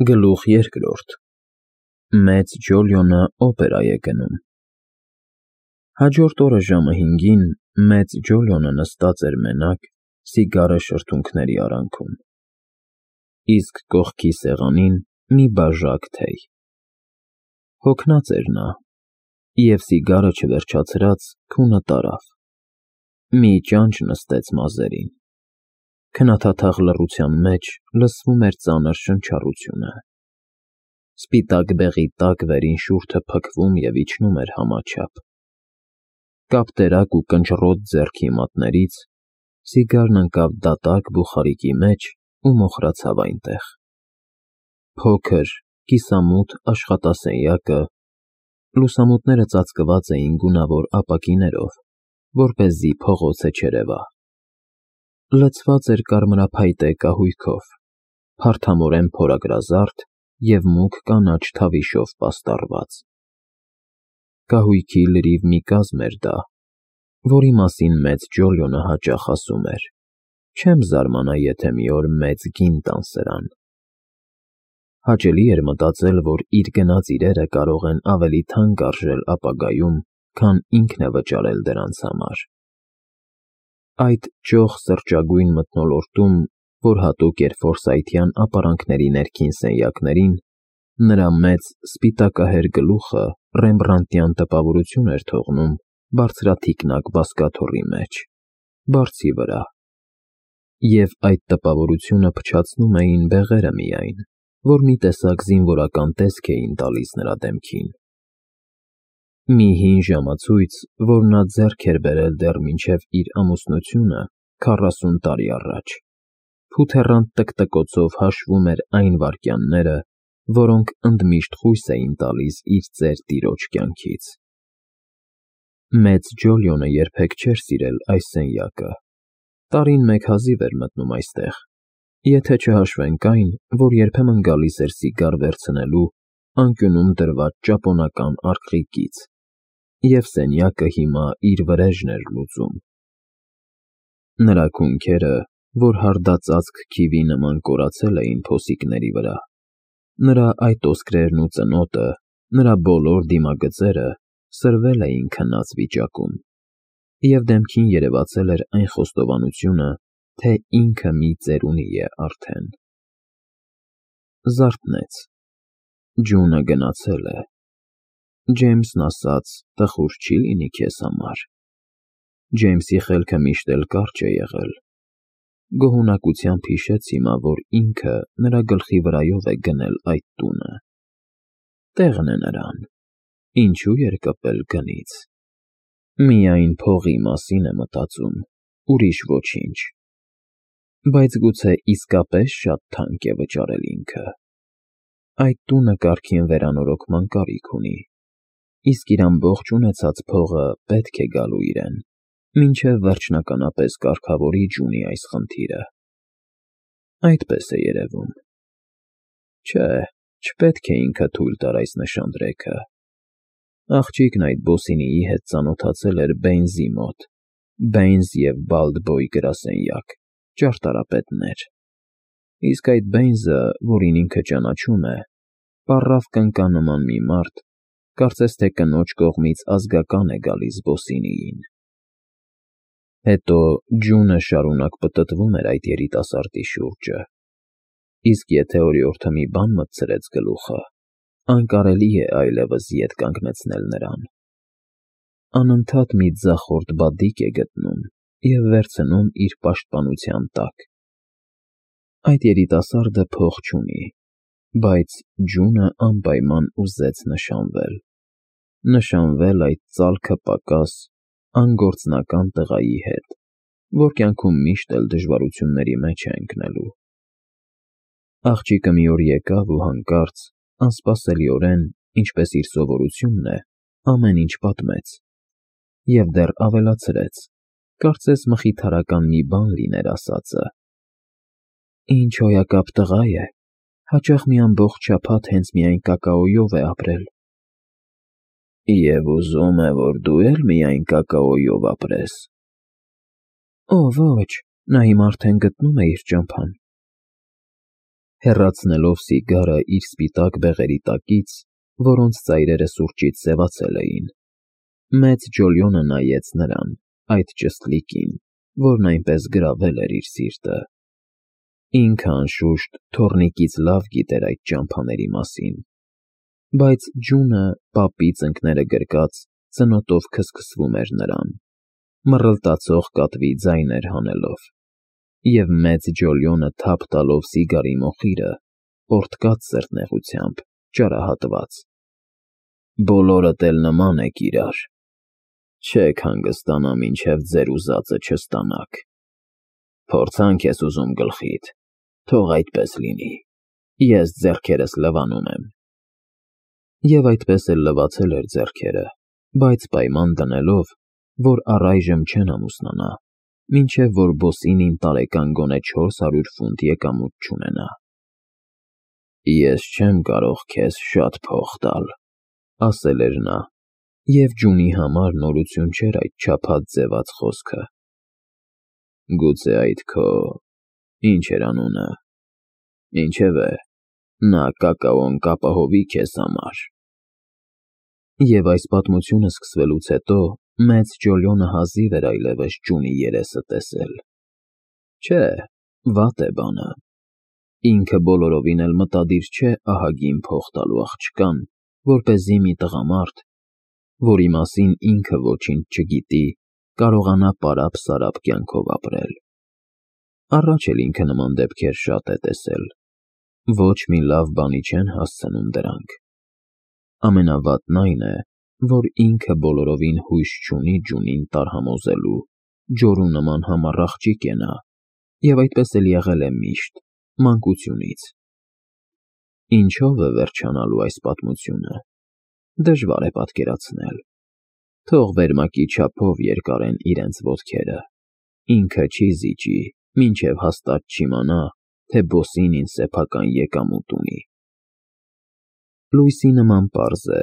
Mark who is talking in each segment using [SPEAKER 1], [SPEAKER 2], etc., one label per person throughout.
[SPEAKER 1] Գլուխ երկրորդ Մեծ Ջոլիոնը օպերա է գնում։ Հաջորդ օրը ժամը 5-ին Մեծ Ջոլիոնը նստած էր մենակ, սիգարը շրթունքների արանքում, իսկ կողքի սեղանին մի բաժակ թեյ։ Հոգնած էր նա, և սիգարը չվերջացրած քունը տարավ, մի ճանճ նստեց մազերին, քնաթաթախ լռության մեջ լսվում էր ծանր շնչառությունը, սպիտակ բեղի տակ վերին շուրթը փքվում և իջնում էր համաչափ, կապտերակ ու կնճռոտ ձեռքի մատներից սիգարն ընկավ դատարկ բուխարիկի մեջ ու մոխրացավ այնտեղ։ Փոքր, կիսամութ աշխատասենյակը, լուսամուտները ծածկված էին գունավոր ապակիներով, որպեսզի փողոցը չերևա, լցված էր կարմրափայտե կահույքով, փարթամորեն փորագրազարդ և մուգ կանաչ թավիշով պաստառված։ Կահույքի լրիվ մի կազմ էր դա, որի մասին Մեծ Ջոլիոնը հաճախ ասում էր. «Չեմ զարմանա, եթե մի օր մեծ գին տան սրան»։ Հաճելի էր մտածել, որ իր գնած իրերը կարող են ավելի թանկ արժել ապագայում, քան ինքն է վճարել դրանց համար։ Այդ ճոխ սրճագույն մթնոլորտում, որ հատուկ էր ֆորսայթյան ապարանքների ներքին սենյակներին, նրա մեծ սպիտակահեր գլուխը ռեմբրանդտյան տպավորություն էր թողնում բարձրաթիկնակ բազկաթոռի մեջ, բարձի վրա, և այդ տպավորությունը փչացնում էին բեղերը միայն, որ մի տեսակ զինվորական տեսք էին տալիս նրա դեմքին։ Մի հին ժամացույց, որ նա ձեռք էր բերել դեռ մինչև իր ամուսնությունը 40 տարի առաջ, փութեռանտ տկտկոցով հաշվում էր այն վայրկյանները, որոնք ընդմիշտ խույս էին տալիս իր ծեր տիրոջ կյանքից։ Մեծ Ջոլիոնը երբեք չէր սիրել այս սենյակը, տարին մեկ հազիվ էր մտնում այստեղ, եթե չհաշվենք այն, որ երբեմն գալիս էր սիգար վերցնելու անկյունում դրված ճապոնական արկղիկից, և սենյակը հիմա իր վրեժն էր լուծում։ Նրա քունքերը, որ հարդածածկ քիվի նման կորացել էին փոսիկների վրա, նրա այտոսկրերն ու ծնոտը, նրա բոլոր դիմագծերը սրվել էին քնած վիճակում, և դեմքին երևացել էր այն խոստովանությունը, թե ինքը մի ծերունի է արդեն։ Զարթնեց, ջունը գնացել է, Ջեյմսն ասաց, տխուր չի լինի քեզ համար, Ջեյմսի խելքը միշտ էլ կարճ է եղել, գոհունակությամբ հիշեց հիմա, որ ինքը նրա գլխի վրայով է գնել այդ տունը, տեղն է նրան, ինչու երկպել գնից, միայն փողի մասին է մտածում, ուրիշ ոչինչ, բայց գուցե իսկապես շատ թանկ է վճարել ինքը։ Այդ տունը կարգին վերանորոգման կարիք ունի, իսկ իր ամբողջ ունեցած փողը պետք է գալու իրեն, մինչև վերջնականապես կարգավորի ջունի այս խնդիրը։ Այդպես է երևում։ Չէ, չպետք է ինքը թույլ տար այս նշանдрեքը։ Աղջիկն այդ բոսինիի հետ ծանոթացել էր Բեյնզի մոտ, Բեյնզ և Բալդբոյ գրասենյակ, ճարտարապետներ, իսկ այդ Բեյնզը, որին ինքը ճանաչում է, պառավ կնկա նման մի մարդ, կարծես թե կնոջ կողմից ազգական է գալիս բոսինիին։ Հետո ջունը շարունակ պտտվում էր այդ երիտասարդի շուրջը, իսկ եթե օրիորդը մի բան մտցրեց գլուխը, անկարելի է այլևս ետ կանգնեցնել նրան։ Անընդհատ մի ձախորդ բադիկ է գտնում և վերցնում իր պաշտպանության տակ։ Այդ երիտասարդը փող չունի, բայց ջունը անպայման ուզեց նշանվել այդ ծալքը պակաս, անգործնական տղայի հետ, որ կյանքում միշտ էլ դժվարությունների մեջ է ընկնելու։ Աղջիկը մի օր եկավ ու հանկարծ, անսպասելիորեն, ինչպես իր սովորությունն է, ամեն ինչ պատմեց, և դեռ ավելացրեց, կարծես մխիթարական մի բան լիներ ասածը. Ինչ հոյակապ տղա է, հաճախ մի ամբողջ շաբաթ հենց միայն կակաոյով է ապրել։ Եվ ուզում է, որ դու էլ միայն կակաոյով ապրես։ Ոչ, նա հիմա արդեն գտնում է իր ճամփան։ հեռացնելով սիգարը իր սպիտակ բեղերի տակից, որոնց ծայրերը սուրճից սևացել էին։ Մեծ Ջոլիոնը նայեց նրան, այդ ճստլիկին, որն այնպես գրավել էր իր սիրտը։ Ինքը անշուշտ թոռնիկից լավ գիտեր այդ ճամփաների մասին, բայց ջունը, պապի ծնկները գրկած, ծնոտով քսքսվում էր նրան, մռլտացող կատվի ձայն էր հանելով, և մեծ Ջոլիոնը թափ տալով սիգարի մոխիրը, պոռթկաց սրտնեղությամբ, ճարահատված. «Բոլորդ էլ նման եք իրար, չեք հանգստանա, մինչև ձեր ուզածը չստանաք։ Փորձանք ես ուզում գլխիդ, թող այդպես լինի, ես ձեռքերս լվանում եմ»։ Եվ այդպես էլ լվացել էր ձեռքերը, բայց պայման դնելով, որ առայժմ չեն ամուսնանա, մինչև որ Բոսինին տարեկան գոնե 400 ֆունտ եկամուտ չունենա։ «Ես չեմ կարող քեզ շատ փող տալ», ասել էր նա, և ջունի համար նորություն չէր այդ չափած ձևած խոսքը։ «Գուցե այդ քո… ինչ էր անունը… Ինչևէ, նա կակաոն կապահովի քեզ համար»։ Եվ այս պատմությունը սկսվելուց հետո մեծ Ջոլիոնը հազիվ էր այլևս ջունի երեսը տեսել։ Չէ, վատ է բանը։ Ինքը բոլորովին էլ մտադիր չէ ահագին փող տալու աղջկան, որպեսզի մի տղամարդ, որի մասին ինքը ոչինչ չգիտի, կարողանա պարապ-սարապ կյանքով ապրել։ Առաջ էլ ինքը նման դեպքեր շատ է տեսել։ Ոչ մի լավ բանի չեն հասցնում դրանք։ Ամենավատն այն է, որ ինքը բոլորովին հույս չունի ջունին տարհամոզելու, ջորու նման համառ աղջիկ է նա, և այդպես էլ եղել է միշտ, մանկությունից։ Ինչո՞վ է վերջանալու այս պատմությունը, դժվար է պատկերացնել։ Թող վերմակի չափով երկարեն իրենց ոտքերը, ինքը չի զիջի, մինչև հաստատ չիմանա, թե Բոսինին սեփական եկամուտ ունի։ Լույսի նման պարզ է,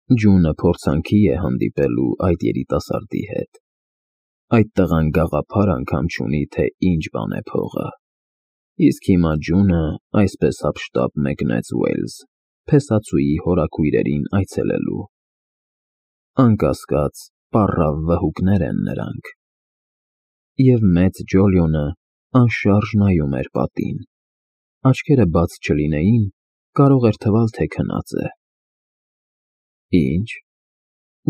[SPEAKER 1] ջունը փորձանքի է հանդիպելու այդ երիտասարդի հետ։ Այդ տղան գաղափար անգամ չունի, թե ինչ բան է փողը։ Իսկ հիմա ջունը այսպես հափշտապ մեկնեց Ուեյլզ, փեսացուի հորաքույրերին այցելելու։ Անկասկած, պառավ վհուկներ են նրանք։ Եվ մեծ Ջոլիոնը անշարժ նայում էր պատին։ Աչքերը բաց չլինեին, կարող էր թվալ, թե քնած է։ Ինչ։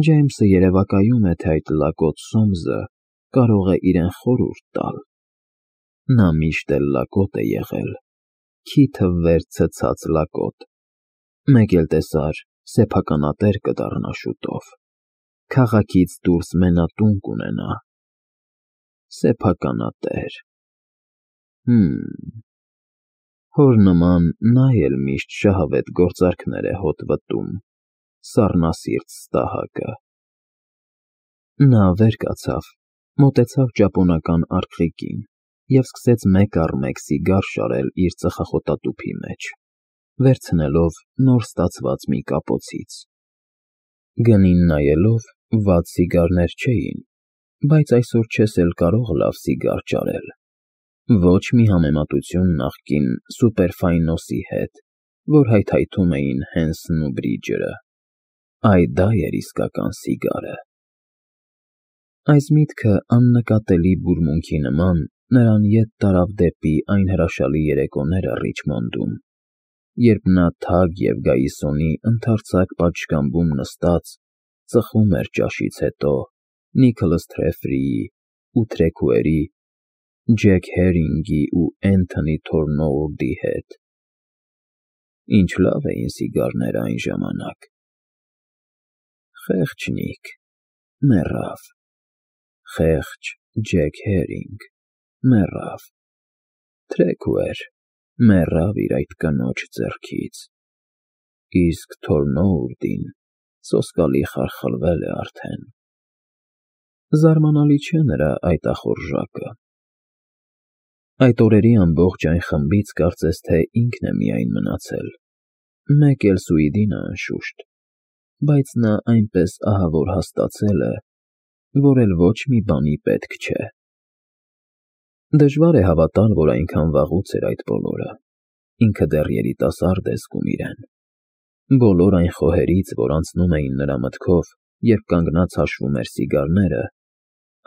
[SPEAKER 1] Ջեյմսը երևակայում է, թե այդ լակոտ Սոմսը կարող է իրեն խորհուրդ տալ։ Նա միշտ էլ լակոտ է եղել, քիթը վեր ցցած լակոտ։ Մեկ էլ տեսար, սեփականատեր կդառնա շուտով, քաղաքից դուրս մենատուն կունենա։ Սեփականատեր… Հոր նման նա էլ միշտ շահավետ գործարքներ է հոտ վտում, սառնասիրտ ստահակը։ Նա վեր կացավ, մոտեցավ ճապոնական արկղիկին և սկսեց մեկ առ մեկ սիգար շարել իր ծխախոտատուփի մեջ, վերցնելով նոր ստացված մի կապոցից։ Գնին նայելով, վատ սիգարներ չէին, բայց այսօր չես էլ կարող լավ սիգար ճարել։ Ոչ մի համեմատություն նախկին Սուպերֆայնոսի հետ, որ հայթայթում էին Հենսն ու Բրիջերը։ Դա էր իսկական սիգարը։ Այս միտքը աննկատելի բուրմունքի նման նրան ետ տարավ դեպի այն հրաշալի երեկոները Ռիչմոնդում, երբ նա թագ և գայիսոնի ընդարձակ պատշգամբում նստած ծխում էր ճաշից հետո Նիքոլաս Թրեֆրիի ու Թրեքուերի, Ջեք Հերինգի ու Էնթոնի Թորնոուլդի հետ։ Ինչ լավ էին սիգարները այն ժամանակ։ Խեղճ Նիք… մեռավ։ Խեղճ Ջեք Հերինգ… մեռավ։ Թրեքուեր… մեռավ իր այդ կնոջ ձեռքից։ Իսկ Թորնոուլդին սոսկալի խարխլվել է արդեն։ Զարմանալի չէ նրա այդ ախորժակը։ Այդ օրերի ամբողջ այն խմբից կարծես թե ինքն է միայն մնացել, մեկ էլ Սուիդինը անշուշտ, բայց նա այնպես ահավոր հաստացել է, որ էլ ոչ մի բանի պետք չէ։ Դժվար է հավատալ, որ այնքան վաղուց էր այդ բոլորը։ ինքը դեռ երիտասարդ է զգում իրեն։ Բոլոր այն խոհերից, որ անցնում էին նրա մտքով, երբ կանգնած հաշվում էր սիգարները,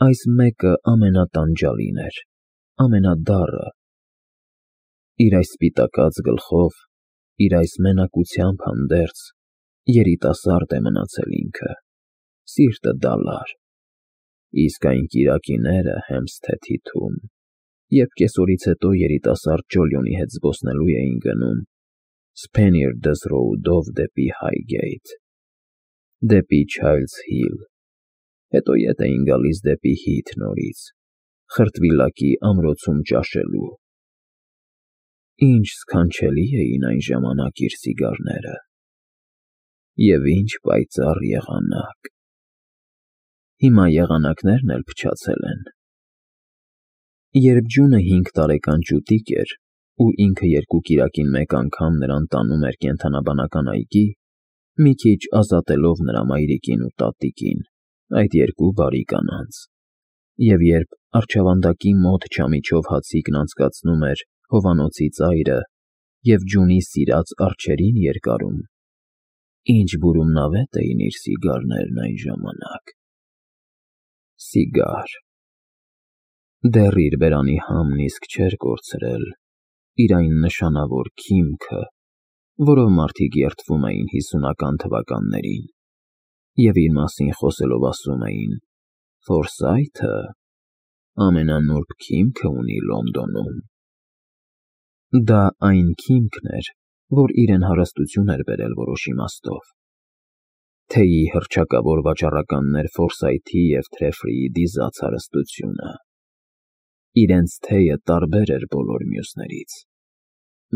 [SPEAKER 1] այս մեկը ամենատանջալին էր, ամենադառը։ Իր այս սպիտակած գլխով, իր այս մենակությամբ հանդերձ, երիտասարդ է մնացել ինքը, սիրտը դալար։ Իսկ այն կիրակիները Հեմփսթեթ Հիթում, երբ կեսօրից հետո երիտասարդ Ջոլիոնի հետ զբոսնելու էին գնում Սփենիարդս Ռոուդով դեպի Հայգեյթ, դեպի Չայլդս Հիլ, հետո ետ էին գալիս դեպի Հիթ նորից, Խրտվիլակի ամրոցում ճաշելու։ Ինչ սքանչելի էին այն ժամանակ իր սիգարները, և ինչ պայծառ եղանակ։ Հիմա եղանակներն էլ փչացել են։ Երբ Ջունը 5 տարեկան ճուտիկ էր, ու ինքը երկու կիրակին մեկ անգամ նրան տանում էր կենդանաբանական այգի, մի քիչ ազատելով նրա մայրիկին ու տատիկին, այդ երկու բարի կանանց, և երբ առջևանդակի մոտ չամիչով հացիկն անցկացնում էր հովանոցի ծայրը և Ջունի սիրած արջերին երկարում, ինչ բուրումնավետ էին իր սիգարներն այն ժամանակ։ Սիգար։ Դեռ իր բերանի համն իսկ չէր կորցրել իր այն նշանավոր քիմքը, որով մարդիկ երդվում էին 50-ական թվականներին, և իր մասին խոսելով ասում էին. «Ֆորսայթը ամենանուրբ քիմքը ունի Լոնդոնում»։ Դա այն քիմքն էր, որ իրեն հարստություն էր բերել որոշ իմաստով։ Թեյի հռչակավոր վաճառականներ Ֆորսայթի և Թրեֆրիի դիզած հարստությունը։ Իրենց թեյը տարբեր էր բոլոր մյուսներից։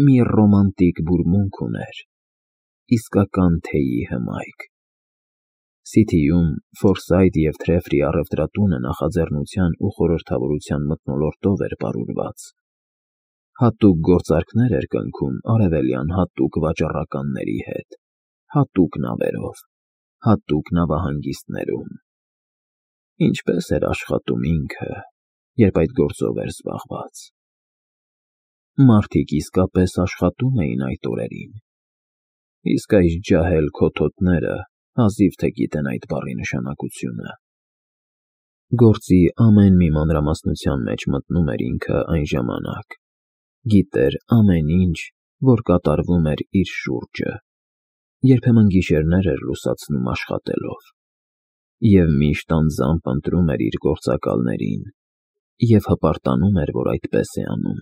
[SPEAKER 1] Մի ռոմանտիկ բուրմունք ուներ, իսկական թեյի հմայք։ Սիթիում Ֆորսայթ և Թրեֆրի առևտրատունը նախաձեռնության ու խորհրդավորության մթնոլորտով էր պարուրված։ Հատուկ գործարքներ էր կնքում արևելյան հատուկ վաճառականների հետ, հատուկ նավերով, հատուկ նավահանգիստներում։ Ինչպես էր աշխատում ինքը, երբ այդ գործով էր զբաղված։ Մարդիկ իսկապես աշխատում էին այդ օրերին, իսկ այս ջահել քոթոտները հազիվ թե գիտեն այդ բառի նշանակությունը։ Գործի ամեն մի մանրամասնության մեջ մտնում էր ինքը այն ժամանակ, գիտեր ամեն ինչ, որ կատարվում էր իր շուրջը, երբեմն գիշերներ էր լուսացնում աշխատելով, և միշտ անձամբ ընտրում էր իր գործակալներին և հպարտանում էր, որ այդպես է անում։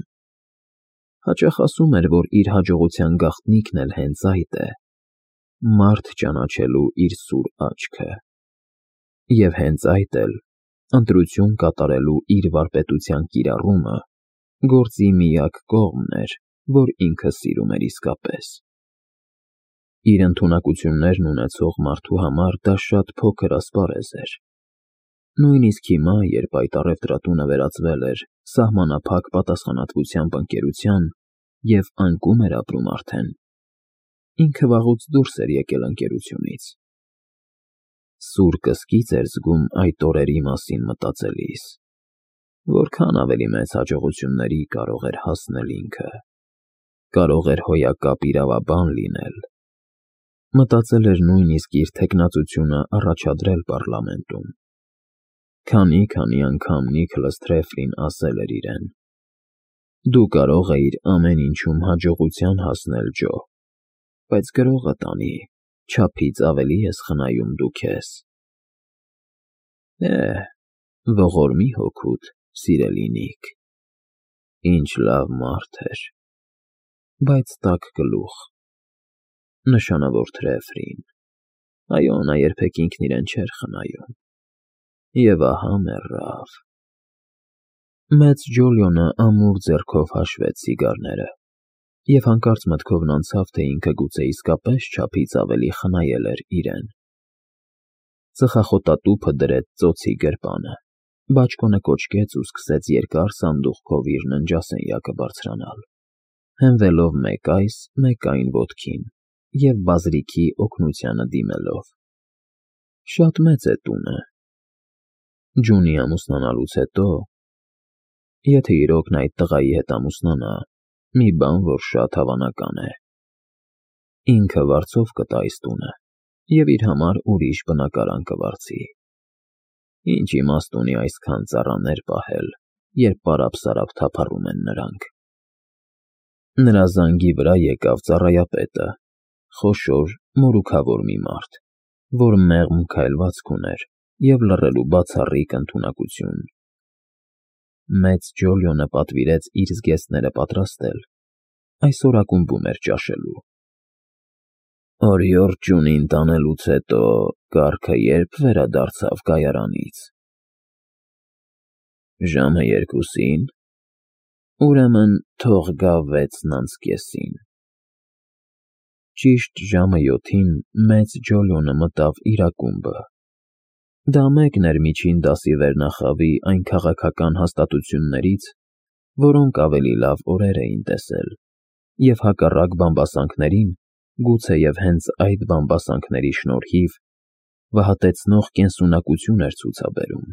[SPEAKER 1] Հաճախ ասում էր, որ իր հաջողության գաղտնիքն էլ հենց այդ է՝ մարդ ճանաչելու իր սուր աչքը։ Եվ հենց այդ էլ, ընտրություն կատարելու իր վարպետության կիրառումը, գործի միակ կողմն էր, որ ինքը սիրում էր իսկապես։ Իր ընդունակություններն ունեցող մարդու համար դա շատ փոքր ասպարեզ էր։ Նույնիսկ հիմա, երբ այդ առևտրատունը վերածվել էր սահմանափակ պատասխանատվությամբ ընկերության և անկում էր ապրում արդեն, ինքը վաղուց դուրս էր եկել ընկերությունից։ Սուր կսկիծ էր զգում այդ օրերի մասին մտածելիս, որքան ավելի մեծ հաջողությունների կարող էր հասնել ինքը, կարող էր հոյակապ իրավաբան լինել։ Մտածել էր նույնիսկ իր թեկնածությունը առաջադրել պառլամենտում։ Քանի անգամ Նիքլաս Թրեֆլին ասել էր իրեն. «Դու կարող էիր ամեն ինչում հաջողության հասնել, Ջո, բայց գրողը տանի, չափից ավելի ես խնայում դու քեզ»։ Ողորմի հոգուդ, սիրելի Նիք, ինչ լավ մարդ էր, բայց տաք գլուխ։ Նշանավոր Թրեֆրին, այո, նա երբեք ինքն իրեն չէր խնայում։ Եվ ահա մեռավ։ Մեծ Ջոլիոնը ամուր ձեռքով հաշվեց սիգարները և հանկարծ մտքովն անցավ, թե ինքը գուցե իսկապես չափից ավելի խնայել էր իրեն։ Ծխախոտատուփը դրեց ծոցի գրպանը, բաճկոնը կոչկեց ու սկսեց երկար սանդուղքով իր ննջասենյակը բարձրանալ, հենվելով մեկ այս, մեկ այն ոտքին և բազրիքի օգնությանը դիմելով։ Շատ մեծ է տունը։ Ջունի ամուսնանալուց հետո, եթե իրոք նա այդ տղայի հետ ամուսնանա, մի բան, որ շատ հավանական է։ Ինքը վարձով կտա այս տունը և իր համար ուրիշ բնակարան կվարձի։ Ինչ իմաստ ունի այսքան ծառաներ պահել, երբ պարապ-սարապ թափառում են նրանք։ Նրա զանգի վրա եկավ ծառայապետը, խոշոր, մորուքավոր մի մարդ, որ մեղմ քայլվածք ուներ և լռելու բացառիկ ընդունակություն։ Մեծ Ջոլիոնը պատվիրեց իր զգեստները պատրաստել, այսօր ակումբում էր ճաշելու։ Օրիորդ ջունին տանելուց հետո կառքը երբ վերադարձավ կայարանից։ Ժամը 2-ին, ուրեմն թող գա 6:30։ Ճիշտ ժամը 7-ին մեծ Ջոլիոնը մտավ իր ակումբը։ Դա մեկն էր միջին դասի վերնախավի այն քաղաքական հաստատություններից, որոնք ավելի լավ օրեր էին տեսել, և հակառակ բամբասանքներին, գուցեև հենց այդ բամբասանքների շնորհիվ, վհատեցնող կենսունակություն էր ցուցաբերում։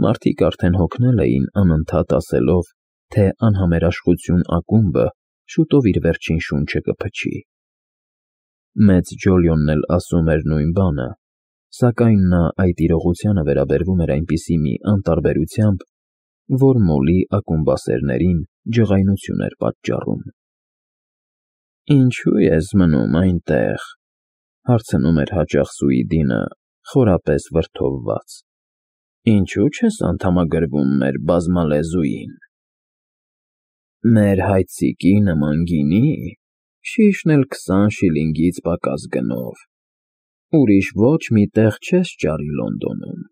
[SPEAKER 1] Մարդիկ արդեն հոգնել էին անընդհատ ասելով, թե անհամերաշխություն ակումբը շուտով իր վերջին շունչը կփչի։ Մեծ Ջոլիոնն էլ ասում էր նույն բանը, սակայն նա այդ իրողությանը վերաբերվում էր այնպիսի մի անտարբերությամբ, որ Մոլի ակումբասերներին ջղայնություն էր պատճառում։ «Ինչո՞ւ ես մնում այնտեղ», հարցնում էր հաճախ Սուիդինը, խորապես վրդովված։ «Ինչո՞ւ չես անդամագրվում մեր բազմալեզուին»։ «Մեր հայցիկի նման գինի, շիշն էլ 20 շիլինգից պակաս գնով, ուրիշ ոչ մի տեղ չես ճարի Լոնդոնում»։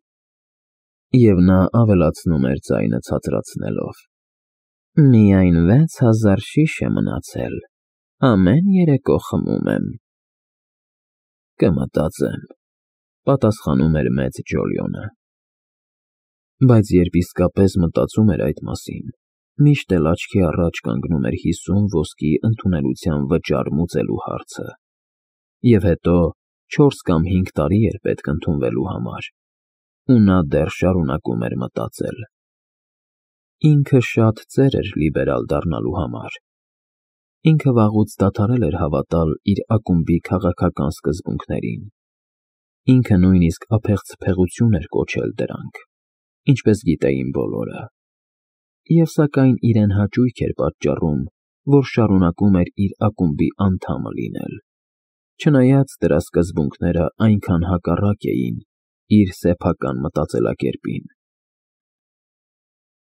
[SPEAKER 1] Եվ նա ավելացնում էր ձայնը ցածրացնելով. «Միայն 6000 շիշ է մնացել, ամեն երեկո խմում եմ»։ «Կմտածեմ», պատասխանում էր մեծ Ջոլիոնը։ Բայց երբ իսկապես մտածում էր այդ մասին, միշտ էլ աչքի առաջ կանգնում էր 50 ոսկի ընդունելության վճար մուծելու հարցը։ Եվ հետո 4 կամ 5 տարի էր պետք ընդունվելու համար, ու նա դեռ շարունակում էր մտածել։ Ինքը շատ ծեր էր լիբերալ դառնալու համար։ Ինքը վաղուց դադարել էր հավատալ իր ակումբի քաղաքական սկզբունքներին։ Ինքը նույնիսկ ափեղցփեղություն էր կոչել դրանք, ինչպես գիտեին բոլորը։ Եվ սակայն իրեն հաճույք էր պատճառում, որ շարունակում էր իր ակումբի անդամը լինել, չնայած դրա սկզբունքները այնքան հակառակ էին իր սեփական մտածելակերպին։